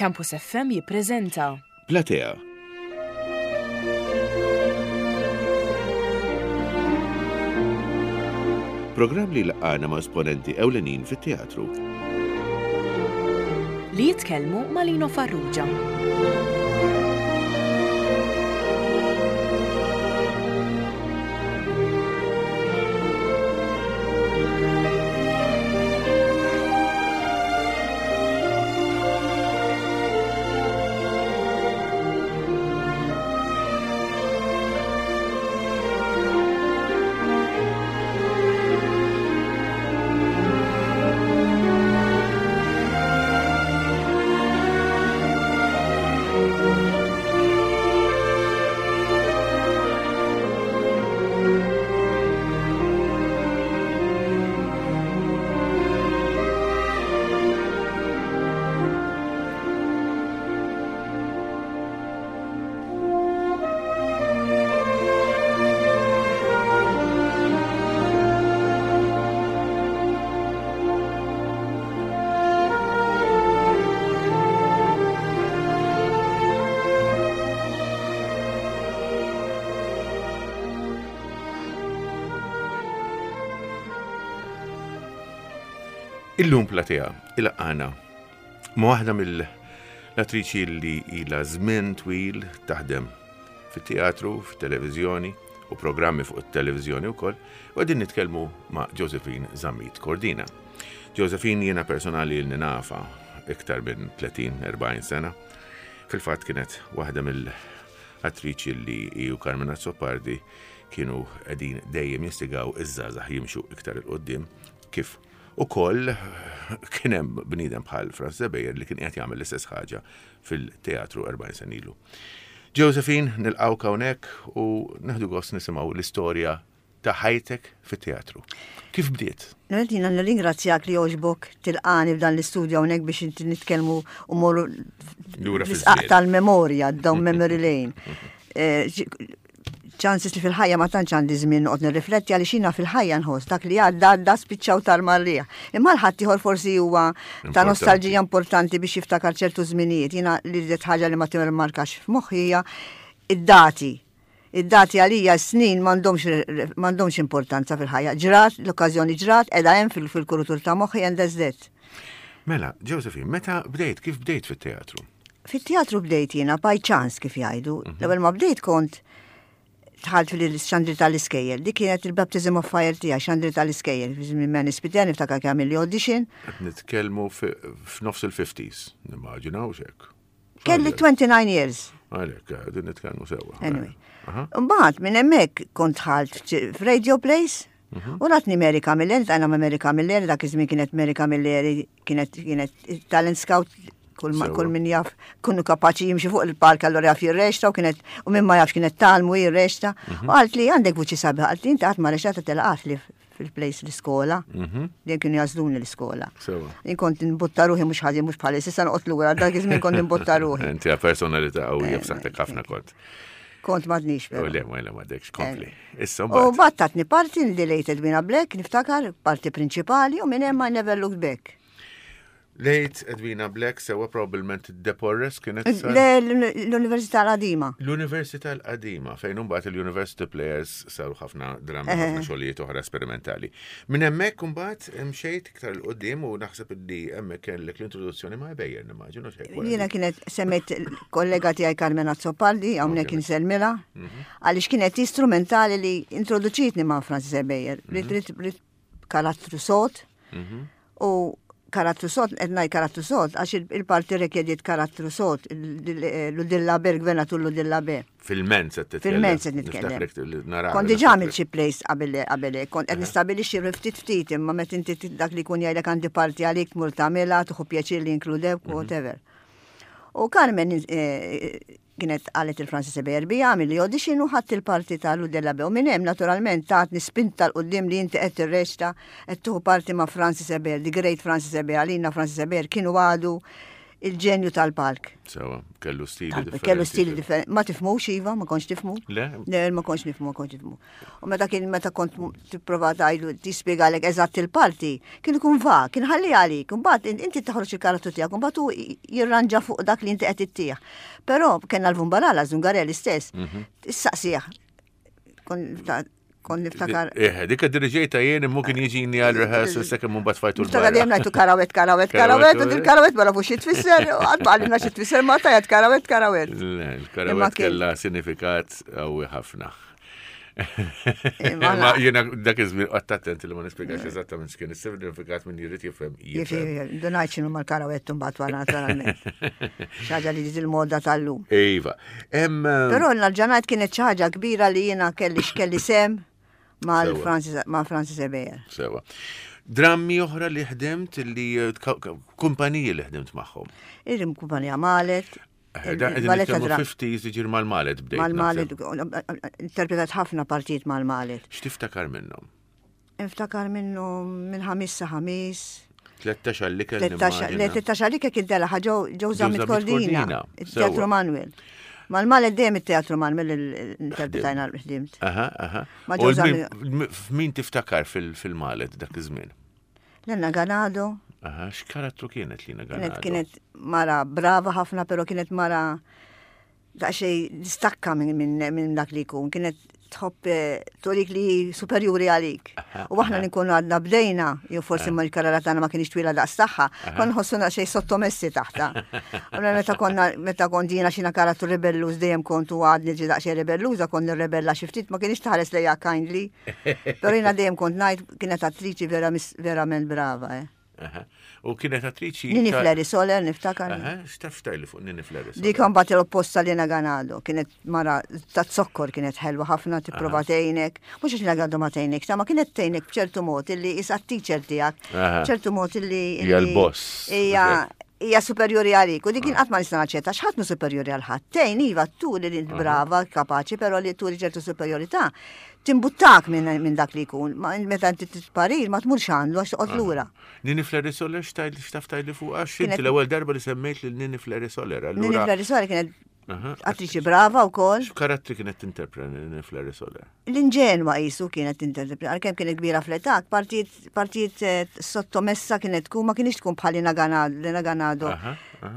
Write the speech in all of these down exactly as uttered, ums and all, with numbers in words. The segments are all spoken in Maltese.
Campus F M jippreżenta Platea. Programm li jlaqqagħna ma' esponenti ewlenin fit-teatru. Li jitkellmu ma' Lino Farrugia. Illum Platea ilaqqagħna ma' waħda mill-attriċi li ilha żmien twil taħdem fit-teatru, fit-televiżjoni u programmi fuq it-televiżjoni wkoll, u qegħdin nitkellmu ma' Josephine Zammit Cordina. Josephine jiena personali li nafa iktar minn tletin erbgħin sena. Fil-fatt kienet waħda mill-attriċi li hi u Carmen Azzopardi kienu qegħdin dejjem jistigaw iż-żgħażagħ jimxu iktar 'il quddiem, kif ukoll kien hemm bniedem bħal Franz Ebejer li kien qed jagħmel l-istess ħaġa fil-teatru erbgħin sena ilu. Josephine, nilqgħuk hawnhekk u nieħdu gost nisimgħu l-istorja ta' ħajtek fit-teatru. Kif bdiet? L-ewwel jiena nirringrazzjak li għoġbok tilqagħni f'dan l-istudju hawnhekk biex inti nitkellmu u morru lura l-isqaq fiż-żmien. Tal-memorja, down memory lane. Eh, Chances li fil-ħajja ma tantx għandi żmien noqgħod nirrifletti, għaliex jiena fil-ħajja nħoss dak li għadda għadda, spiċċaw tal-marrija. Imma l-ħadd ieħor forsi huwa ta' Importanti. nostalġija importanti biex jiftakar ċertu żminijiet. Jiena li rrid ħaġa li ma timmarkax f'moħħi hija id-dati. Id-dati għalija, snin m'għandhomx m'għandhomx importanza fil-ħajja. Ġrat, l-okkażjoni ġrat, qiegħda hemm fil- fil-kurutur ta' moħħi and that's that. Mela, Josephine, meta bdejt, kif bdejt fit-teatru? Fit-teatru bdejt jiena by chance, kif jgħidu. L-ewwel ma bdejt kont dħalt fil-xandir tal-iskejjel. Dik kienet il-baptism of fire tiegħi, xandir tal-iskejjel. Fi żmien Manny Spiteri, niftakar kemm għamilli audition. Qed nitkellmu fi- f'nofs il-fifties, nimmaġinaw xek. Kelli twenty-nine years. Għalek, din nitkellmu sewwa. Anyway. Aha. Mbagħad minn hemmhekk kont dħalt f'Radio Plays. U ratni Mary Camilleri, tajna ma' Mary Camilleri, dak iż-żmien kienet Mary Camilleri, kienet kienet talent scout, kull ma- Sewwa. kull min jaf, kunu kapaċi jimxi fuq il-park allora jaf jirreċta, u kienet u min ma jafx kienet tgħallmu jirreċta. U qalt li għandek vuċi sabiħa, qalt li inti qatt ma reċtata, telaqat li fil-plays l-iskola. Dejjem kienu jagħżluni l-iskola. Sewwa. Jien kont nbotta ruħi mhux ħażin, mhux bħal issa noqgħod lura, dak iż-żmien kont nbotta ruħi. Inti għal personalità qawwija, b'saħħtek ħafna kont. Kont m'għadnix U però. le, ma le, m'għadekx, kompli. Issa U mbagħad. mbagħad tatni parti The Late Edwina Black, niftakar, parti prinċipali, u minn hemm I never looked back. Late Edwina Black, sewwa, probabbilment De Porres kienet sar- Le- L-Università l-Qadima. L-Università l-Qadima, fejn imbagħad il-University Players saru ħafna drammi, ħafna xogħlijiet oħra sperimentali. Minn hemmhekk imbagħad mxejt iktar 'il quddiem u naħseb li hemmhekk kellek l-introduzzjoni ma' Ebejer, nimmaġinu xejn. Jiena kienet semmejt kollega tiegħi Carmen Azzopardi, hawnhekk insellmilha, għaliex kienet istrumentali li introduċitni ma' Francis Ebejer. Rid rid rid karattru sod u karattru sod, qed ngħid karattru sod, għax il- il-parti rikjediet karattru sod, Ludilla Ber, gvernatur Ludilla Ber. Fil-Menz qed titkellem. Fil-Menz qed nitkellem. Niftakrek li nara. Kont diġà għamilt xi plays qabel qabel kont qed nistabilixxi ftit ftit, imma meta inti dak li jkun jgħidlek għandi parti għalik, tmur tagħmilha, tieħu pjaċir li jinkludewk, whatever. U Carmen eh, kienet qalet il-Francis Ebejer bi għamil li audition u ħadt il-parti ta' Ludilla Be. U minn hemm naturalment tatni spinta 'l quddiem li inti qed tirreċta, qed tieħu parti ma' Francis Ebejer, the great Francis Ebejer. Għalina Francis Ebejer kienu għadu il-ġenju tal-palk. Sewa, kellu stili differenti. Kellu stili differenti. Ma tifhmux, iva, ma kontx tifhmu. Le? Le, ma kontx nifhmu, ma kontx nifhmu. U meta kien meta kont tipprova tgħidlu tispjegalek eżatt il-parti, kien ikun va, kien ħalli għalik, imbagħad inti taħroġ il-karattru tiegħek, imbagħad hu jirranġa fuq dak li inti qed ittih. Però kellna l-Vumbarala, Zungarelli stess, Mhm. issaqsih. Kon niftakar. Eh, dik diriġejta jien immu kien jiġini għal rehearsal sakemm mbagħad fajtu Niftakar dejjem ngħidu karawet, karawet, karawet, u dil-karawet ma nafux xi tfisser, qatt ma qalilna xi tfisser ma tajat karawet, karawet. Il-karawet kellha sinifikat qawwi ħafna. Ma jiena dak iż-żmien qatt attent li ma nispjegax eżattament x'kien is-sinifikat min jrid jifhem. Jifhem, dunajt x'inhu mal-karawet mbagħad wara naturalment. Xi ħaġa li ġiet il-moda tal-lum. Iva. Però l-ġanajt kienet xi ħaġa kbira li jiena kelli x'kelli sem ma' Francis Ebejer. Sewa. Drammi oħra li ħdimt li kumpaniji li ħdimt magħhom. Irim kumpanija Malet. Ballet fifties iġir mal-Malet bdejt. Mal-Malet, interpretat ħafna partijiet mal-Malet. X'tiftakar minnhom? Niftakar minnhom minn ħamis sa ħamis. Tlettax għall-ikel. Tlettax għall-ikel kien tela ġew Zammit Cordina, il-Teatru Manuel. Mal-Malet dejjem it-Teatru Manuel interpretajna l-ħdimt. Aha, aha. F'min tiftakar fil-Malet dak iż-żmien? Lena Ganado. Aha, x'karattru kienet Lina Ganado? Kienet mara brava ħafna, pero kienet mara daqsxejn distakka minn dak li jkun. Kienet tħobb turik li superjuri għalik. U aħna li nkunu għadna bdejna, jew forsi ma l-karriera tagħna ma kienx twila daqs tagħha, konna nħossuna xejn sottomessi taħta. Allura meta konna meta kont jiena xina karattru rebelluż dejjem kont u għadni ġi daqsxejn rebelluża, kont nirrebella xi ftit, ma kienx tħares lejja kindly. Però jiena dejjem kont ngħid kienet attriċi verament brava, eh. U kienet attriċi. Nini Fleri Soler, niftakar. X'taf tajli fuq Nini Fleri Soler? Dik mbagħad l-opposta li Ganado. Kienet mara ta' zokkor, kienet ħelwa ħafna, tipprova tgħinek. Mhux għax Ganado ma tgħinek, ta' ma kienet tgħinek b'ċertu mod illi isa teacher tiegħek. B'ċertu mod illi. Hija l-boss. Hija hija superjuri għalik. U dik kien qatt ma nista' naċċetta x'ħadd mu superjuri għal ħadd. Tgħin iva turi li brava, kapaċi, però li turi ċertu superjorità timbuttak minn dak li jkun. Meta inti titparir ma tmurx għandu għax toqgħod lura. Nini Fleri Soler x'taf tajli fuq għax inti l-ewwel darba li semmejt lil Nini Fleri Soler. Nini Fleri Soler kienet attriċi brava wkoll. X'karattri kienet tinterpreta Nini Fleri Soler? L-inġenwa qisu kienet tinterpreta, għalkemm kienet kbira fl-età, partijiet sottomessa kienet tkun, ma kienx tkun bħal Lina Ganado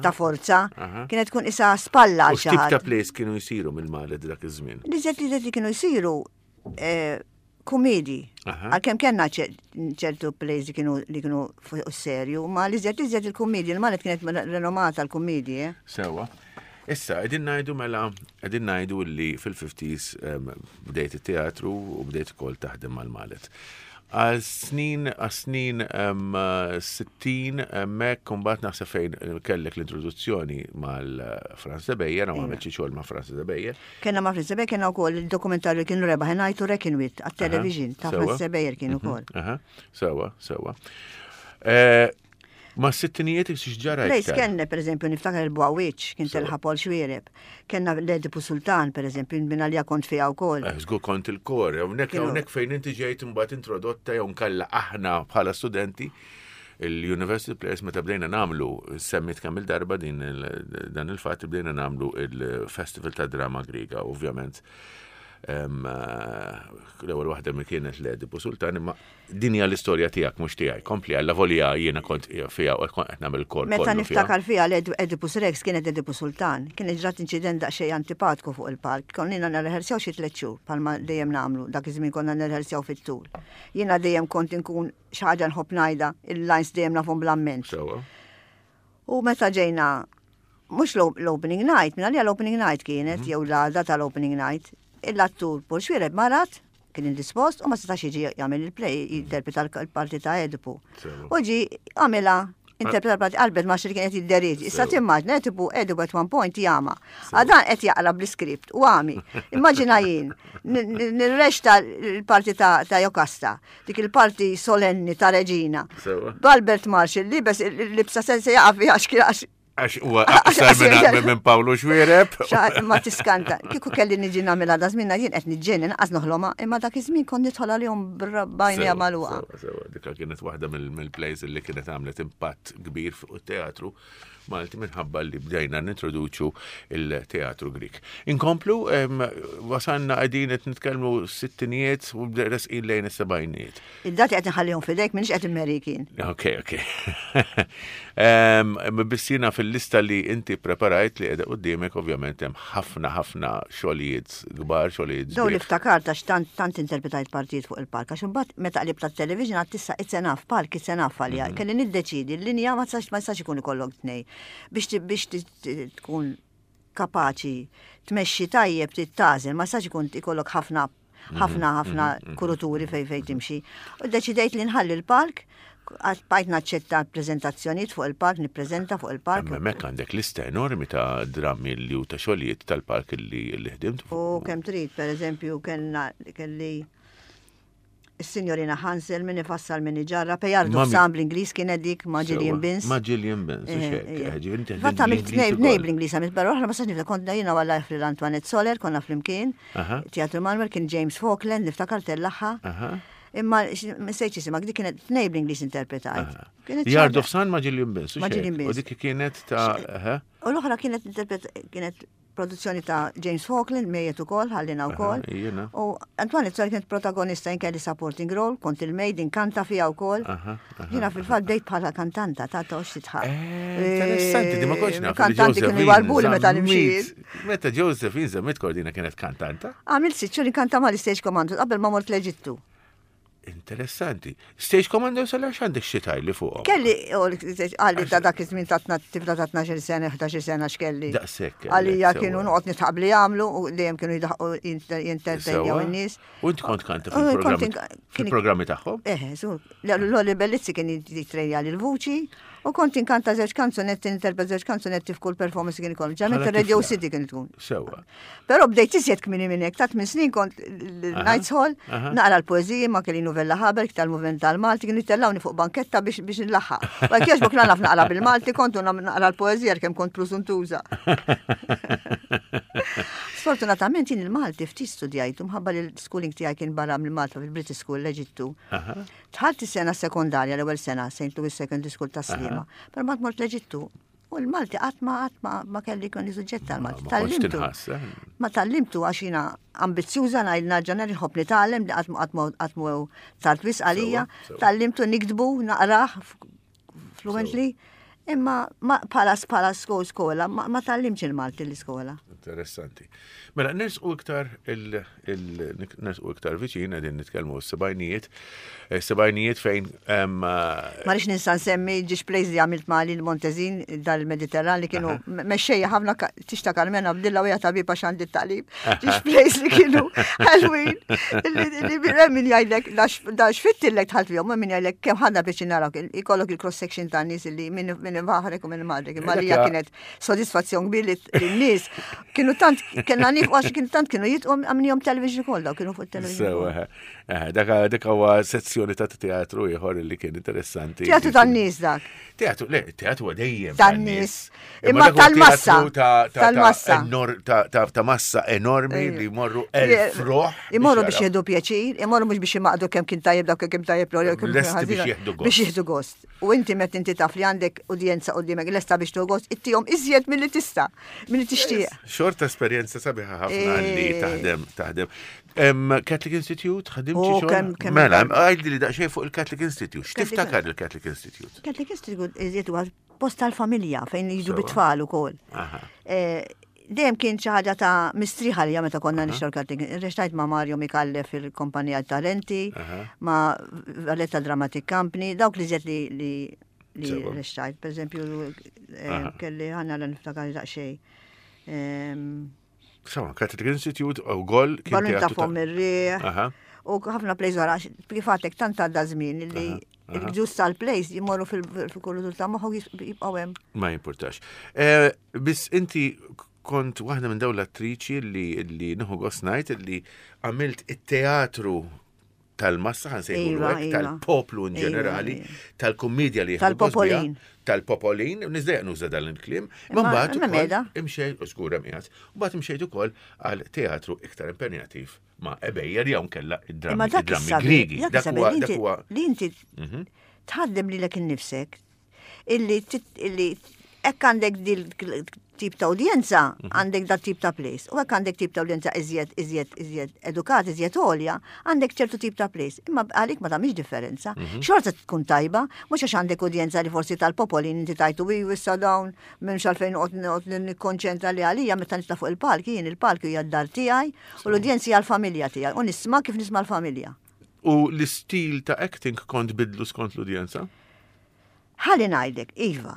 ta' forza, kienet tkun isa spalla għal xi ħadd. Ta' plays kienu jsiru mill-Malet dak iż-żmien? Li li kienu jsiru komedi. Għalkemm kellna ċertu plays li kienu li kienu fuq serju, ma li żed li żed il-komedi, il-Malet kienet renomata l-komedi. Sewa. Issa, qegħdin ngħidu mela, qegħdin ngħidu li fil-fifties bdejt it-teatru u bdejt ukoll taħdem mal-Malet. Għal snin, għal snin sittin, hemmhekk imbagħad naħseb fejn kellek l-introduzzjoni mal-Franz Ebejer, u għamilt xi xogħol ma' Franz Ebejer. Kellna ma' Franz Ebejer, kellna wkoll il-dokumentarju li kienu rebaħ ngħidu Reckon With għat-television ta' Franz Ebejer kienu wkoll. Sewa, sewa. Ma' sittinijiet x'ġara Lejs kellna, per eżempju, niftakar il-Bwawiċ, kien telħa Paul Xuereb. Kellna l-Edipu Sultan, per eżempju, minn għalija kont fija wkoll. Żgur kont il-kor, hawnhekk hawnhekk fejn inti ġejt imbagħad introdotta jew nkella aħna bħala studenti il-University Players meta bdejna nagħmlu, semmit kemm il-darba din dan il-fatt bdejna nagħmlu il-Festival ta' Drama Griega, ovvjament. L-ewwel waħda mi kienet l-Edipu Sultan, imma din hija l-istorja tiegħek mhux tiegħi. Kompli għalla volja jiena kont fiha u kont qed nagħmel kor. Meta niftakar fiha l-Oedipus Rex kienet Edipu Sultan, kienet ġrat inċident daqsxejn antipatku fuq il-palk. Konna nirrehearsjaw xi tliet xhur bħalma dejjem nagħmlu, dak iż-żmien konna nirrehearsjaw fit-tul. Jiena dejjem kont inkun xi ħaġa nħobb ngħidha, il-lines dejjem nafhom bl-amment. U meta ġejna mhux l-opening night, minn għalija l-opening night kienet, jew l-għada tal-opening night, l-attur Paul Xuereb marat, kien indispost u ma setax jiġi jagħmel il-play, jinterpreta l-parti ta' Edipu. U ġi għamilha, interpreta l-parti Albert Marshall kien qed jidderieġi. Issa timmaġna Edipu, Edipu at one point jama. Għadan qed jaqra bl-iskript u għami. Immaġina jien, nirrexta l-parti ta' Jokasta, dik il-parti solenni ta' Reġina. B'Albert Marshall libes libsa sense jaqa' fiha għax Għax huwa aqsar minn Pawlu Xuereb. Ma tiskanta, kieku kelli niġi nagħmilha da żmien jien qed niġġenni naqas noħloma, imma dak iż-żmien kont nidħol għalihom b'għajnejja magħluqa. Sewa, dika kienet waħda mill-plays li kienet għamlet impatt kbir fuq it-teatru Malti minħabba li bdejna nintroduċu il-teatru Grik. Inkomplu, wasanna qegħdin qed nitkellmu sittinijiet u resqin lejn is-sebgħinijiet. Id-dati qed nħallihom f'idejk minix qed immerikin. Ok, ok. Biss jiena fil-lista li inti preparajt li qiegħda quddiemek ovvjament hemm ħafna ħafna xogħlijiet kbar, xogħlijiet. Daw li ftakart għax tant tant interpretajt partijiet fuq il-palk, għax imbagħad meta qlibt tat-television għad tissa it's enough, palk it's enough għalija. Mhm. Kelli niddeċidi l-linja ma tistax ikun ikollok tnej biex biex tkun kapaċi tmexxi tajjeb tagħżel, ma jistax ikun ikollok ħafna ħafna mhm, ħafna mhm, mhm. kuruturi fej fej timxi. U deċidejt li nħalli l-palk, bajt naċċetta prezentazzjonijiet fuq il-palk, nippreżenta fuq il-palk. Hemmhekk għandek lista enormi ta' drammi li u ta' xogħlijiet tal-palk li ħdimt. U kemm trid, per eżempju, kelli Is-Sinjorina Hansel min ifassal min iġarrab, Yard of Sun bl-Ingliż kienet dik ma' Gillian Binns. Ma' Gillian Binns, Fatt għamilt tnejn bl-Ingliż għamilt barra oħra ma sax niftakar kont jiena għalla fil Antoinette Soler konna flimkien. Teatru Manuel kien James Falkland niftakar tellaħħa. Imma msejċ jisimha, dik kienet tnejn bl-Ingliż interpretajt. Yard of Sun ma' Gillian Binns. Ma' Gillian Binns. U dik kienet ta' U l-oħra kienet kienet produzzjoni ta' James Falkland, mejjet ukoll, ħallina wkoll. U Antoine Soler kienet protagonista jien kelli supporting role, kont il-maid inkanta fiha wkoll. Jiena fil-fatt bdejt bħala kantanta ta' tox titħaq. Eh, interessanti, di ma kontx naf. Kantanti kienu jwarbuli meta nimxi. Meta Josephine Zammit Cordina kienet kantanta? Għamilt sitt xhur inkanta ma' l-Stage Commando qabel ma mort l-Eġittu. Interessanti. Stage Commando sal għandek xi li fuqhom. Kelli, għalli ta' dak iż-żmien ta' tifla ta' tnax-il sena, ħdax-il sena x'kelli. Daqshekk. Għalija kienu noqgħod nitħaq li jagħmlu u dejjem kienu jidaħqu jintertenjaw in-nies. U inti kont kanta fil-programmi tagħhom? Eh, Lolly Bellizzi kien jitrejja l-vuċi u kont inkanta żewġ kanzunetti, interpret żewġ kanzunetti f'kull performance kien ikoll. Ġament Radio City kien tkun. Sewa. Però bdejt iżjed kmini minn hekk, ta' tmien snin kont l-Knights Hall, naqra l-poeżiji ma' kelli Novella Haber tal-Movement tal-Malti, kienu jtellawni fuq banketta biex biex nlaħħaq. Ma kiex bok naf naqra bil-Malti, kontu naqra l-poeżija kemm kont prusuntuża. Sfortunatament jien il-Malti ftit studjajtu mħabba li l-schooling tiegħi kien barra mill-Malta fil-British School l-Eġittu. Dħalt is-sena sekondarja l-ewwel sena Saint Louis Secondary School ta' Sliema, però ma mort l-Eġittu. U l-Malti qatt ma qatt ma kelli kien suġġett tal-Malti. Tgħallimtu. Ma tgħallimtu għax jiena ambizzjuża ngħid narġa' nħobb nitgħallem li qatt qatt mu tard wisq għalija. Tgħallimtu niktbu naqrah fluently. Imma bħala bħala skola ma tgħallimtx il-Malti l-iskola. Interessanti. Mela, nersqu iktar nersqu iktar viċin qegħdin nitkellmu s-sebgħinijiet, sebgħinijiet fejn. Ma rix ninsa nsemmi ġiex plays li għamilt ma' Lil Montezin dal-Mediterran li kienu mexxejja ħafna tixta Carmena Abdilla u tabib għax għandi t-taqlib. Ġiex plays li kienu ħelwin. Li min jgħidlek dax fittillek tħalt fihom, min jgħidlek kemm ħadna biex narak ikollok il-cross section ta' nies li minn baħrek u minn madrek. Imma li kienet sodisfazzjon kbir li n-nies kienu tant kellna nif għax kienu tant kienu jitqom għamnihom television kollha kienu fuq television. Sewa, dak dak huwa sezzjoni ta' teatru ieħor li kien interessanti. Teatru tan-nies dak. Teatru, le, teatru huwa dejjem tan-nies. Imma tal-massa. Tal-massa. Ta' massa enormi li jmorru elf ruħ. Imorru biex jieħdu pjaċir, imorru mhux biex imaqdu kemm kien tajjeb dak kemm tajjeb l biex jieħdu gost. Biex jieħdu gost. U inti meta inti taf li għandek udjenza quddiemek lesta biex tieħu gost, ittihom iżjed milli tista' milli tixtieq. Xorta esperjenza sabiħa ħafna li taħdem taħdem. Catholic Institute, ħadimt xi xogħol? Mela, għidli li daqsxejn fuq il-Catholic Institute. X'tiftakar il-Catholic Institute? Catholic Institute iżjed huwa post tal-familja fejn jiġu bit-tfal ukoll. Dejjem kien xi ħaġa ta' mistriħa li meta konna nixtru l-Catholic. Rextajt ma' Mario Micallef fil-kumpanija Talenti, ma' Valletta Dramatic Company, dawk li żed li li rextajt. Per eżempju, kelli ħanna l-niftakar daqsxejn. Sawa, Catholic Institute u gol kien Ballun ta' fom ir-riħ. U ħafna plays wara, kif għadek tant għadda żmien li il-ġust tal-plays jimorru fil-kultur ta' moħħu jibqgħu hemm. Ma jimpurtax. Biss inti kont waħda minn dawn l-attriċi li li nieħu gost ngħid li għamilt it-teatru tal-massa, ħa nsejħulu Iva, hekk, iva. tal-poplu in Iva, ġenerali, iva. tal-kummedja li jieħdu gost biha, Tal-popolin. Tal-popolin, nizdejaq nuża dan il-kliem, ma Imma- mbagħad imma ukoll meda. imxejt, u żgur hemm qiegħed, u mbagħad imxejt ukoll għal teatru iktar impenjattiv ma' Ebejer jew nkella id-drammi Imma dak id-drammi is-sabiħ, Griegi. dak Dak is-sabiħ huwa li dak inti- huwa li inti tħaddem lilek innifsek illi tit- illi hekk għandek dil tip ta' udjenza, għandek dat tip ta' plays. U hekk għandek tip ta' udjenza iżjed, iżjed, iżjed edukat, iżjed għolja, għandek ċertu tip ta' plays. Imma għalik ma tagħmilx differenza. Xorta tkun tajba, mhux għax għandek udjenza li forsi tal-popolin inti tajtu wi wissa dawn m'hemmx għalfejn noqgħod nikkonċentra li għalija meta nitla' fuq il-palk, jien il-palk hija d-dar tiegħi u l-udjenza hija l-familja tiegħi u nisma' kif nisma' l-familja. U l-istil ta' acting kont bidlu skont l-udjenza? Ħalli ngħidlek, Iva,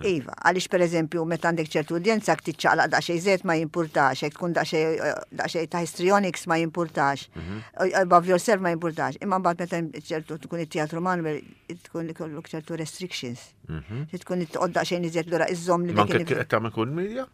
Iva, għaliex per eżempju, meta għandek ċertu udjenza tiċċaqlaq daqsxejn żejt ma jimpurtax, jekk tkun daqsxejn eh, daqsxejn ta' histrionics ma jimpurtax, eh, above yourself ma jimpurtax. Imma mbagħad meta ċertu tkun it-teatru Manuel tkun ikollok ċertu restrictions. Tkun toqgħod daqsxejn iżjed lura iżżomm li Ma anke qed tagħmel kummedja?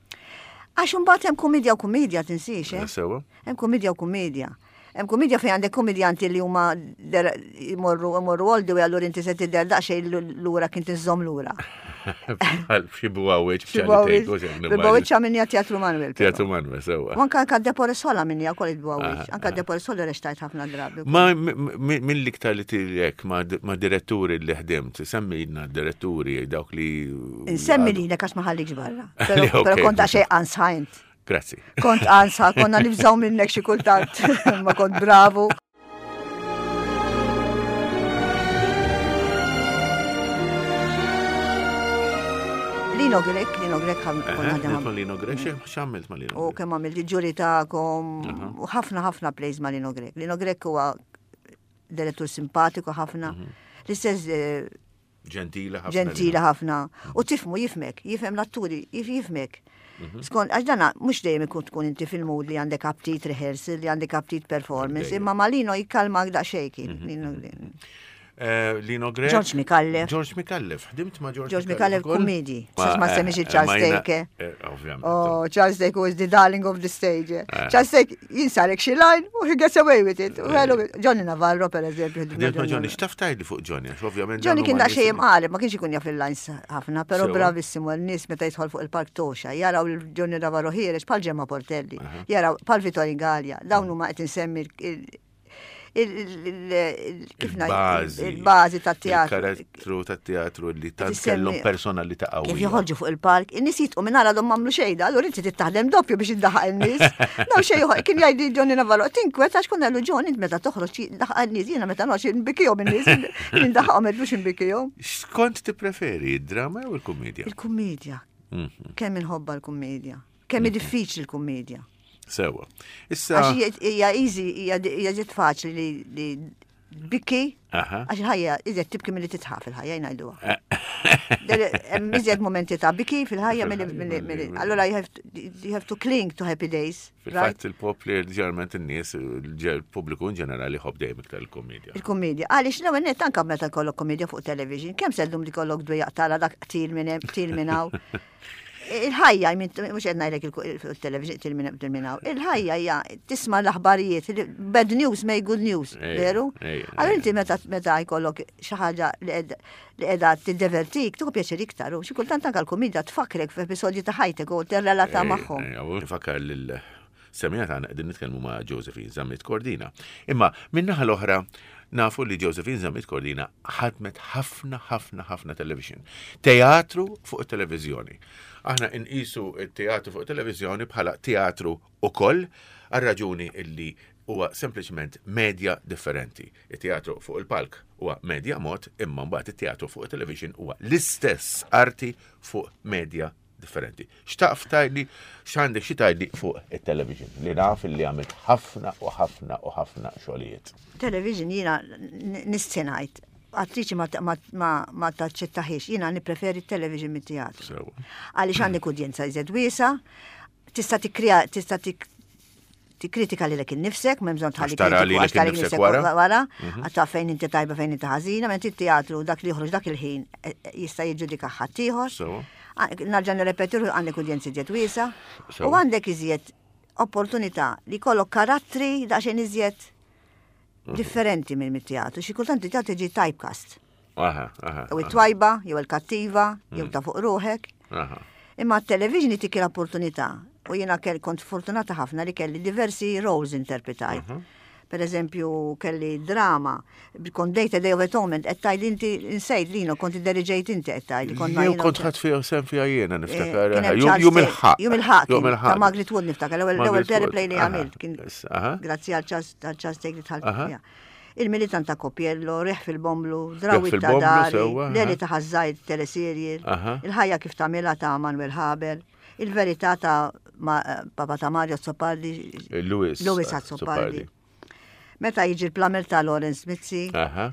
Għax imbagħad hemm kumedja u kumedja tinsiex, eh? Sewa. Hemm kumedja u kumedja. Hemm kumedja fejn għandek komedjanti li huma der- jmorru jmorru all the way allura inti se tidher daqsxejn lura kien tiżżomm lura. Bħal xi buwawieċ b'ċali Bil-Bawieċ għamilni Teatru Manuel. però. Teatru Manuel, sewa. U anka anka Depore Sola minni għakol il-Bawieċ. Anka Depore Sola reċtajt ħafna drabi. Ma minn l-iktar li tilek ma ma diretturi li ħdimt, semmilna diretturi dawk li. Insemmi li għax ma ħallikx barra. Pero Li, ok. pero kont daqsxejn ansħajnt. Grazzi. Kont ansa, konna nibżaw minnek xi kultant. Ma kont bravu. Lino Grech, Lino Grech konna Ħdimt ħdem ma' Lino Grech, x'għamilt ma' Lino U Grech? kemm għamilt il-ġuri tagħkom, u ħafna ħafna plays ma' Lino Grech. Lino Grech huwa direttur simpatiku ħafna. L-istess eh, Ġentila ħafna. ġentila ħafna. U tifmu jifmek, jifhem l-atturi, jif jifmek. Skont, għax dana mhux dejjem ikun tkun inti fil-mood li għandek aptit rehearsal, li għandek aptit performance, Dejjem. imma ma Lino jikkalmak daqsxejn kien. Lino Grech. Eh, Lino Grech. George Micallef. George Micallef. Ħdimt ma' George George Micallef ukoll? kummedi. Sas ma eh, semmix eh, Charles ma jina- Thake. eh, Ovvjament. Oh, Charles Thake was the darling of the stage. eh. Eh. Charles Thake jinsarek xi line u he gets away with it. U hello, Johnny Navarro per eżempju. Ħdimt ma' Johnny, x'taf tgħidli fuq Johnny, għax ovvjament. Johnny dawn kien huma daqsxejn nies li- imqareb, ma kienx ikun jaf il-lines ħafna, però Sewa. bravissimu n-nies meta jidħol fuq il-park toxa, jaraw il-Johnny Navarro ħiereġ bħal Gemma Portelli, jaraw bħal Vittorio Gallia, dawn huma qed insemmi il- il- il- il- kif ngħid, Il-bażi. il-bażi tat-teatru. Il-karattru tat-teatru li tant Tissemmi- kellhom personalità qawwija. Kif joħorġu fuq il-park, in-nies jitqu minn għadhom m'għamlu xejn, allura inti trid doppju biex iddaħaq in-nies. Daw xejn kien jgħidli Johnny Navarro, tinkwet għax konna lu John int meta toħroġ daħaq in-nies, jiena meta noħroġ nbikihom in-nies, jien ndaħaqhom mhux nbikihom. X'kont tippreferi, id-drama jew il-kummedja? Il-kummedja. Mhm. Kemm inħobba l-kummedja. Kemm hi diffiċli l-kummedja. Sewa. Issa. Għax hija- hija easy, hija hija ġiet faċli li li bikki, Aha. għax il-ħajja iżjed tibki milli titħaf fil-ħajja jgħiduha. Hemm iżjed momenti ta' biki fil-ħajja milli milli milli. Allura you have to, you have to cling to happy days. Right? Fil-fatt il-popli ġeneralment in-nies, il-pubbliku in ġenerali jħobb dejjem iktar il-komedja. Il-komedja. Għaliex l-ewwel nett anke meta jkollok komedja fuq television, kemm se ddum li kollok dwejjaq tara dak qtil minn hemm, qtil minn hawn. Il-ħajja, mhux qed ngħidlek il-television qtil minn hemm, qtil minn hawn. Il-ħajja hija tisma' l-aħbarijiet, bad news make good news, Ejja, veru? ejja, Allura ejja. inti meta meta jkollok xi ħaġa li qed- li qiegħda tiddevertik, tieħu pjaċir iktar u xi kultant anke l-komedja tfakrek f'episodji ta' ħajtek u tirrelata magħhom. Nfakkar lil semija tagħna qegħdin nitkellmu ma' Josephine Zammit Cordina. Imma min-naħa l-oħra nafu li Josephine Zammit Cordina ħadmet ħafna ħafna ħafna television. Teatru fuq it-televiżjoni. Aħna nqisu t-teatru fuq it-televiżjoni bħala teatru ukoll għal raġuni illi huwa sempliċement media differenti. Il-teatru fuq il-palk huwa media mod, imma mbagħad it-teatru fuq it-television huwa l-istess arti fuq media differenti. Xtaqf tgħidli, x'għandek xi tgħidli fuq it-television li naf li għamilt ħafna u ħafna u ħafna xogħlijiet. Television jiena nistinajt. Attriċi ma, ma, ma, ma taċċettaħiex, jiena nippreferi television mit-teatru. Sewa. Għaliex għandek udjenza iżjed wiesa, tista' tikkrea, tista' tik tikkritika lilek innifsek, m'hemm bżonn tħalli Għax tara kritiku, lilek għax tara innifsek innifsek wara. wara, għax taf fejn inti tajba fejn inti ħażina, mentri t-teatru dak li joħroġ dak il-ħin eh, eh, jista' jiġġudika ħaddieħor. Sewa. Nerġa' nirrepeti għandek udjenza iżjed wiesa u Sewa. għandek iżjed opportunità li jkollok karattri daqsxejn iżjed Differenti minn mit-teatru, xi kultant it-teatru ġi typecast. Aha, aha. Jew it-twajba, jew il-kattiva, jew ta' fuq ruħek. Aha. Imma t-television tik l-opportunità u jiena kell kont fortunata ħafna li kelli diversi roles interpretajt. Per eżempju, kelli drama, kont dejt A Day of Atonement, qed tgħid inti insejt lino, kont idderiġejt inti qed tgħid. Kont ma Jew jiena- kont ħadd fiha sem fiha jiena niftakar. Eh, kien aha. hemm Jum Charles jum Taylor- il-ħaq. Jum il-ħaq. Jum kien, Ta' il-ħaq. Margaret Wood niftakar, l-ewwel l-ewwel Margaret Wood, teleplay li aha, għamilt kien issa, aha. grazzi għal Charles għal Charles Taylor li dħalt Aha. fiha. Il-militant ta' Copiello, Reħ fil-Bomblu, Drawit ta' fil-Bomblu, Dari, sewwa, aha. Leli ta' Ħażajt teleserje, Aha. il-ħajja kif tagħmilha ta' Manuel Haber, il-verità ta' ma- Papa ta' Mario Azzopardi, Louis. Louis Azzopardi. Meta jiġi l-plamel ta' Lawrence Mizzi, Aha.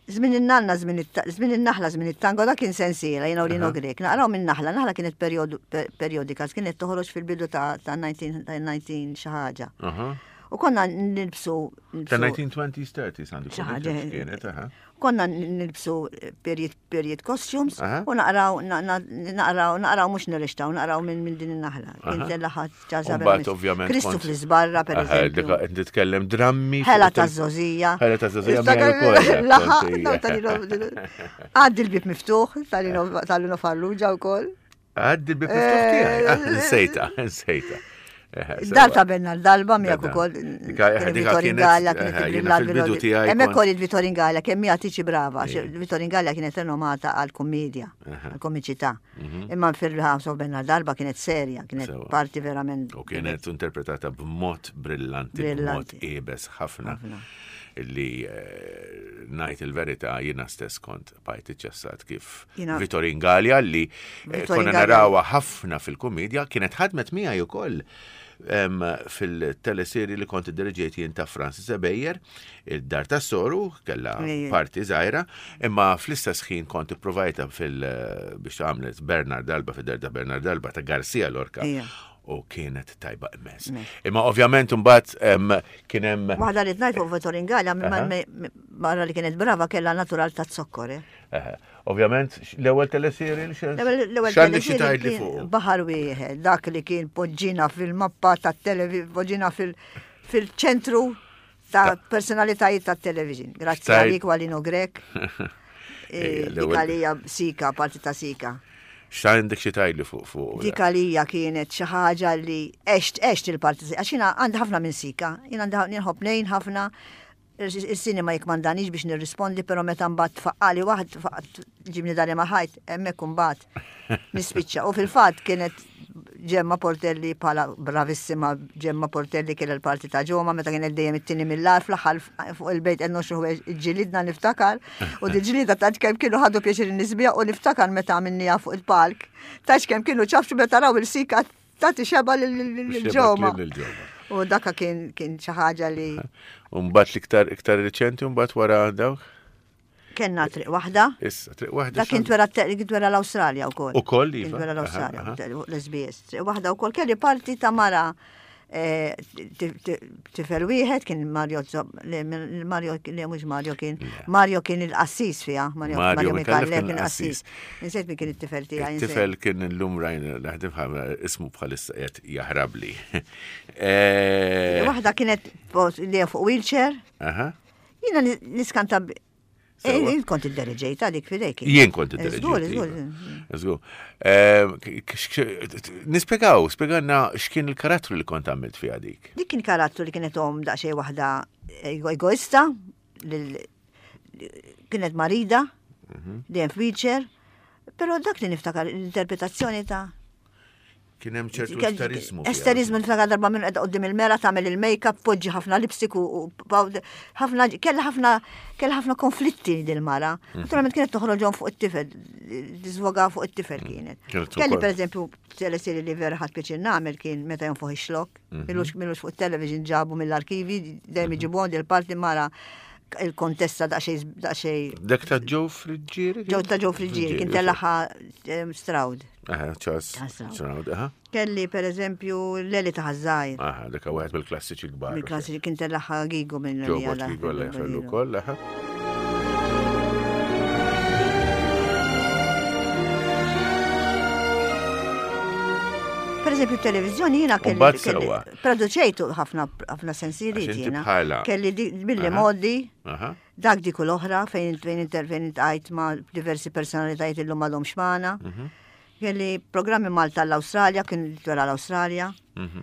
Żmien in-nanna, żmien it- żmien in-naħla, żmien it-tango, dak kien sensiela, jiena u Lino Grek. Naqraw minn naħla, naħla kienet periodu- per- periodika, kienet toħroġ fil-bidu ta' ta' nineteen ta' nineteen xi ħaġa. Aha. U konna nilbsu Ta' nilbsu- nineteen twenties, thirties għandu Xi ħaġa. kienet, aha. Konna nilbsu period, period costumes Aha. u naqraw, na- na- naqraw, naqraw mhux nirrextaw, naqraw minn minn din in-naħla. Kien tellaħat ċaża. U mbagħad, ovvjament, Kristu kont- fl-iżbarra, per Aha, eżempju. dik qed titkellem drammi. fuq Ħela il- ta' żożija. Ħela ta' żożija miegħi wkoll, Laħa, kont, no, tal-Lino- Għaddi l-bib miftuħ, tal-Lino tal-Lino Farrugia u koll. Għaddi l-bib miftuħ tiegħi. Ah, Nsejta, nsejta. Eh, Dar sewwa. ta' Bernard Dalba miegħek Beda. ukoll. Dika- Kien dika Vittorin kienet- Gallia, kienet eh, jiena il-brillat fil-bidu bil- tiegħi Hemmhekk kont- ukoll il-Vittorin Gallia kemm hija tiċi brava, għax Vittorin Gallia kienet renomata għal-kommedja, għal-komiċità. Imma fil-House of Bernard Alba kienet serja, kienet Mhm. Sewwa. parti verament. U kienet interpretata b'mod brillanti, b'mod Brillanti. iebes ħafna. Ħafna. Li eh, ngħid il-verità jiena stess kont bajt iċċessat kif Jiena- Vittorin Gallia li eh, Vittorin konna Gallia- narawha ħafna fil-komedja kienet ħadmet miegħi ukoll em, fil-teleserji li kont iddirġejt jien ta' Francis Ebejer, id-dar ta' Soru, kella Ejja. parti żgħira, imma fl-istess ħin kont ipprovajta fil biex għamlet Bernard Alba fid-dar ta' Bernard Alba ta' Garcia Lorca. Ejja. U kienet tajba immens. Imma ovvjament mbagħad em, kien hemm Waħda li tnajt fuq Vittorin Gallia, Aha. barra li kienet brava kellha natural ta' zokkor. eh. eh, ovvjament l-ewwel teleserji li xan L-ewwel x'għandek xi teleserje tgħid li kien fuq. Baħar wieħed, dak li kien poġġina fil-mappa tat-television, poġġina fil- fil-ċentru ta' personalitajiet tat-television. Grazzi Xtajt- għalik Walino Grek. Ejja, Eh, Dik l-ewwel- għalija sika, parti ta' sika. X'għandek xi tgħid li fuq fuq. Dik għalija kienet xi ħaġa li għext għext il-parti għax jiena għandi ħafna minn sika, jiena għandi nħobb nejn ħafna il-sinema jikmandanix biex nirrispondi, pero meta mbagħad tfaqqali waħd tfaqqa- ġibni dari ma ħajt, hemmhekk imbagħad nispiċċa. U fil-fatt kienet Ġemma Portelli bħala bravissima Ġemma Portelli kien il-parti ta' Ġoma meta kienet dejjem it-tieni mill-ar fl-aħħar fuq il-bejt qed noxru ġilidna niftakar u di ġilida ta' kemm kienu ħadu pjaċir nisbija u niftakar meta għamilniha fuq il-palk. Ta' kemm kienu ċafxu meta raw il-sika tagħti xeba lil-Ġoma. Lil Ġoma. U daka kien kien xi ħaġa li U mbagħad l-iktar iktar riċenti u mbagħad wara dawk. Kenna triq waħda. Issa triq waħda. Dak kien twera kien twera l-Awstralja wkoll. Ukoll, Kien iva. twera l-Awstralja, Aha, aha. l-S B S. Triq waħda wkoll kelli parti ta' mara eh, ti- ti- tifel wieħed kien Mario Zob- li Mario li mhux Mario kien Mario kien il-qassis fiha, Mario Mario Mario Micallef Micallef kien kien il-qassis. qassis. Insejt min kien it-tifel tiegħi. insejt. Il-tifel kien illum rajna naħdem ħafna ismu bħalissa qiegħed jaħrabli. Eh, Waħda kienet fuq- li fuq wheelchair. Aha. Jiena ni- niskanta b- Sewwa. Eh, Jien kont id-deriġejta dik fidejk. Jien kont Żgur, id-diriġejt. żgur. Iva. Żgur. Eh, k- k- Nispjegaw, spjegawna x'kien il-karattru li kont għamilt fiha dik. Dik kien karattru li kienet om daqsxejn waħda ego- egoista, lil- kienet marida, dejjem f'wheelchair, però dak li niftakar l-interpretazzjoni ta' Kien hemm ċertu Kell- esterizmu. fiha. Esterizmu niftakar darba minn qiegħda quddiem il-mera tagħmel il-make-up, poġġi ħafna lipstick u u powder, ħafna kellha ħafna kellha ħafna konflitti dil-mara. Mhm. Naturalment kienet toħroġhom fuq it-tifel, tiżvoga fuq it-tifel kienet. Kienet Kelli ukoll. pereżempju teleserje li vera ħadt pjaċir nagħmel kien meta jonfoħ ix-xlok. Mhm. Milux milux fuq it-television ġabu mill-arkivi, dejjem iġibuhom dil-parti mara il-kontessa daqsxejn daqsxejn Dak ta' Joe Friggieri? Ġew ta' Joe Friggieri, kien tellaħa eh, Stroud. Aha, Charles Charles Stroud. Stroud, aha. Kelli per eżempju Leli ta' Ħażajr. Aha, dak wieħed mill-klassiċi kbar. Mill-klassiċi kien tellaħa Gigo minn Joe Bort Gigo la jafallu wkoll, aha. Per eżempju, televizjoni jiena kelli. Mbagħad kelli- sewwa. Produċejtu ħafna ħafna sensiliet Għax inti jiena. bħala- Kelli di- billi Aha. modi, Aha. dak dik u l-oħra fejn fejn inter fejn iltqajt ma' diversi personalitajiet illum m'għadhomx magħna. Mhm. Kelli programmi Malta l-Awstralja, kien wara l-Awstralja. Mhm.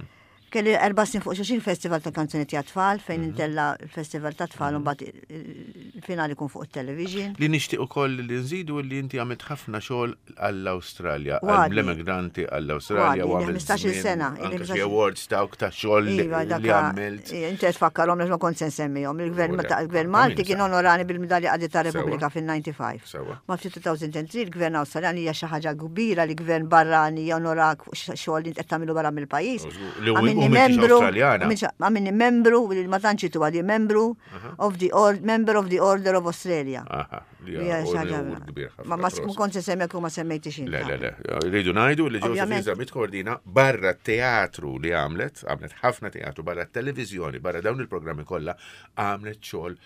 Kelli erba' snin fuq xulxin festival ta' kanzunetti għat-tfal fejn Mhm. intella il-festival ta' tfal u mbagħad il-finali kun fuq il-television. Li nixtieq ukoll li nżidu li inti għamilt ħafna xogħol għall-Awstralja, Għadni. għall-immigranti għall-Awstralja Għadni, u ili għamilt ħmistax-il żmien sena, ili anke xi ħmistax-il- awards dawk ta' xogħol li Iva, li daka, għamilt. inti qed tfakkarhom għax ma kont se nsemmihom. Il-gvern U le, il-gvern ta' Malti min kien sa? onorani bil-Medalja Qadi ta' Repubblika Sewwa. fil-ħamsa u disgħin. Sewwa. Ma fi elfejn u tlieta il-gvern Awstraljan hija xi ħaġa kbira li gvern barrani jonorak fuq xogħol li qed tagħmlu barra mill-pajjiż. U żgur, li u- u Għamilni m'intix membru, Awstraljana. għamilni- għamilni membru, li ma tantx itu għadi membru of the or, member of the Order of Australia. Aha, li Hija hija xi ħaġa- unur kbir ħafna, Ma ma prosit. kont se semmek u ma semmejtix inti. Le, le, le. Rridu ngħidu li Josephine Ovvjament. Zammit Cordina barra teatru li għamlet, għamlet ħafna teatru, barra televizjoni, barra dawn il-programmi kollha, għamlet xogħol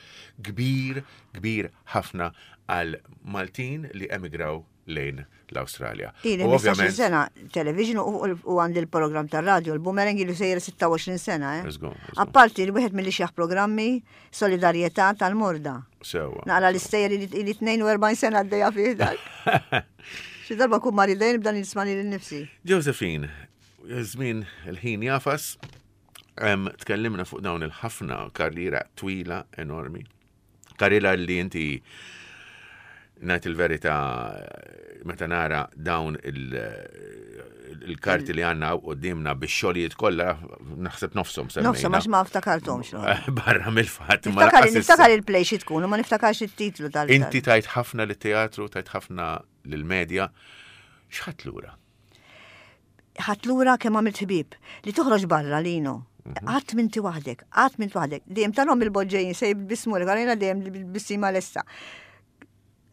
kbir, kbir ħafna għal Maltin li emigraw lejn l-Awstralja. Ili U ħmistax-il sena television u u għandi l-program tar-radio, il-Boomerang ilu sejjer sitta u għoxrin sena, eh. Let's go, let's go. Apparti li wieħed mill-ixjaħ programmi Solidarjetà tal-Morda. Sewwa. Naqra l-istejjer li li tnejn u erbgħin sena għaddejja fih dak. Xi darba kun maridejn nibda nisma' lili nnifsi. Josephine, żmien il-ħin jagħfas, em, tkellimna fuq dawn il-ħafna karriera twila enormi. Karriera li inti ngħid il-verità meta nara dawn il- il-karti li għandna qudiemna bix-xogħlijiet kollha naħseb nofshom semmejna. Nofshom għax ma ftakarthomx. no. Barra mill-fatt. ma Niftakar lanqas issa. niftakar il-play xi tkun u ma niftakarx it-titlu tal Inti tajt ħafna lit-teatru, tajt ħafna lill-medja. X'ħadt lura? Ħadt lura kemm għamilt ħbieb li toħroġ barra lino. Qatt m'inti waħdek, qatt m'inti waħdek. Dejjem tarhom il-boġġejn se jbissmu għalina dejjem bil-bissima lesta.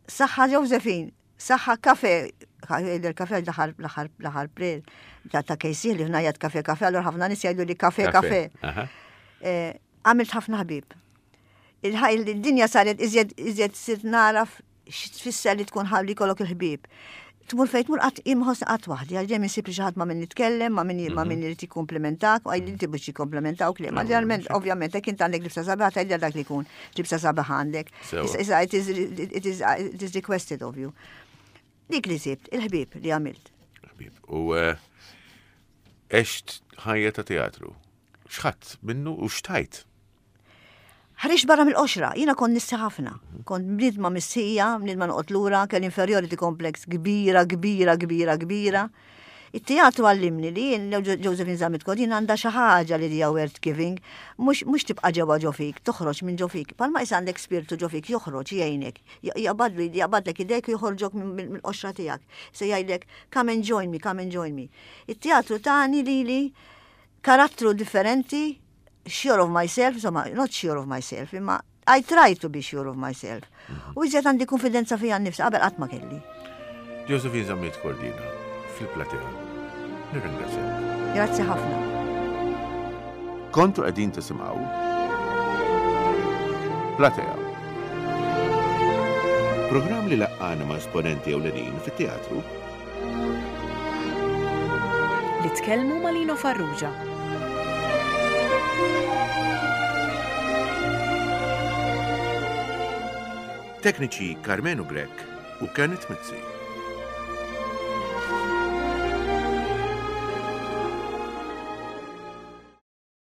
Saħħa Josephine, saħħa kafe, il-kafe l-aħħar l-aħħar l-aħħar prel ta' ta' kejsi li ħnajat kafe kafe, allura ħafna nies jgħidu li kafe kafe. Aha. Eh, Għamilt ħafna ħbieb. Il-dinja saret iżjed iżjed sirt naraf x'tfisser li tkun ħalli kollok il-ħbieb. Tmur fejn tmur qatt imħoss qatt waħdi, għal dejjem insib li xi ħadd ma' min nitkellem, ma' min ma' min irid jikkumplimentak, u għaj inti biex jikkomplementawk li. Ma ġeneralment, ovvjament, jekk int għandek libsa sabiħa, tgħidha dak li jkun libsa sabiħa għandek. Sewwa. Issa- Issa it is it is it is requested of you. Dik li sibt, il-ħbieb li għamilt. Ħbib. U eh, għext ħajja ta' teatru. X'ħadt minnu u xtajt? Ħriġt barra mill-qoxra, jiena kont nistħi ħafna. Kont bniedma mistħija, bniedma noqgħod lura, kelli inferiority complex kbira, kbira, kbira, kbira. Il-teatru għallimni li jien Josephine Zammit Cordina għandha xi ħaġa li hija worth giving, mhux mhux tibqa' ġewwa ġo fik, toħroġ minn ġo fik. Palma issa għandek spiritu ġo fik joħroġ jgħinek, jaqbadlu jaqbadlek idejk u joħorġok mill-qoxra tiegħek. Se jgħidlek come and join me, come and join me. Il-teatru tani li li karattru differenti, sure of myself, insomma, not sure of myself, imma I try to be sure of myself. U iżjed għandi konfidenza fija nnifsi, qabel qatt ma kelli. Josephine Zammit Cordina, fil-platea. Nirringrazzjak. Grazzi ħafna. Kontu qegħdin tisimgħu Platea. Programm li laqqana ma' esponenti ewlenin fit-teatru Li tkellmu ma' Lino Farrugia. Tekniċi Carmenu Grech u Kenneth Mizzi.